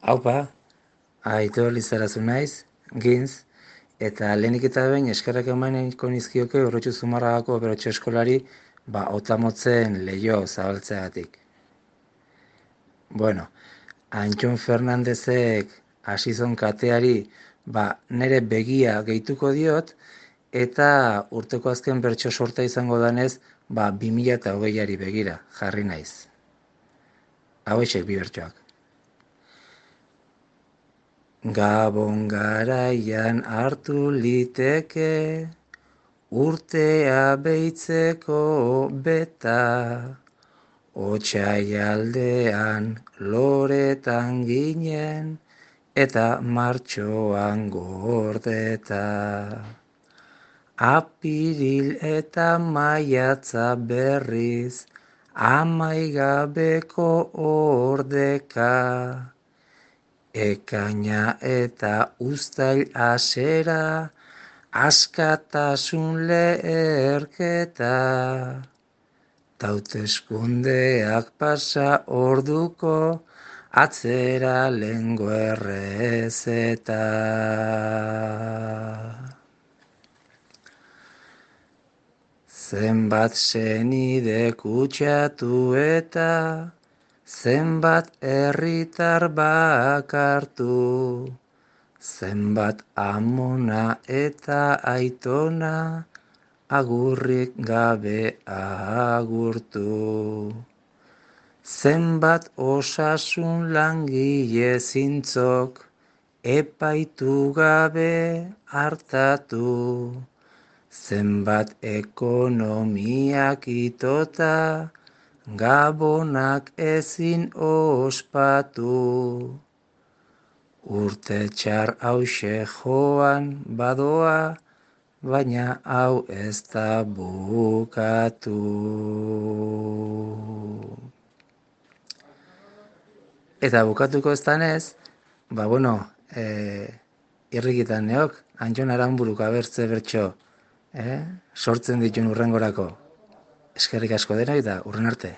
Haupa, Aitor Lizarazu naiz, Gintz, eta lehenik eta behin eskerrak emaniko nizkioke Urrutxu Zumarragako Operotxo Eskolari Otamotzen leiho zabaltzeagatik. Bueno, Antxon Fernandezek hasizon kateari nere begia gehituko diot, eta urteko azken bertso sorta izango danez, 2020ari begira jarri naiz. Hauexek bi bertsoak. Gabon garaian hartu liteke, urtea beitzeko beta, otsaialdean loretan ginen, eta martxoan gordeta. Apiril eta maiatza berriz, amaigabeko ordeka, ekaina eta uztail hasera, askatasun leherketa. Hauteskundeak pasa orduko, atzera lengo errezeta. Zenbat senide kutsatu eta zenbat herritar bakartu, zenbat amona eta aitona agurrik gabe agurtu. Zenbat osasun langile zintzok epaitu gabe hartatu, zenbat ekonomiak itota gabonak ezin ospatu. Urte txar hauxe joan badoa, baina hau ez da bukatu. Eta bukatuko ez danez, irrikitan neok, Antxon Aranburuk abertze bertso, sortzen ditun urrengorako. Eskerrik asko denoi eta hurren arte.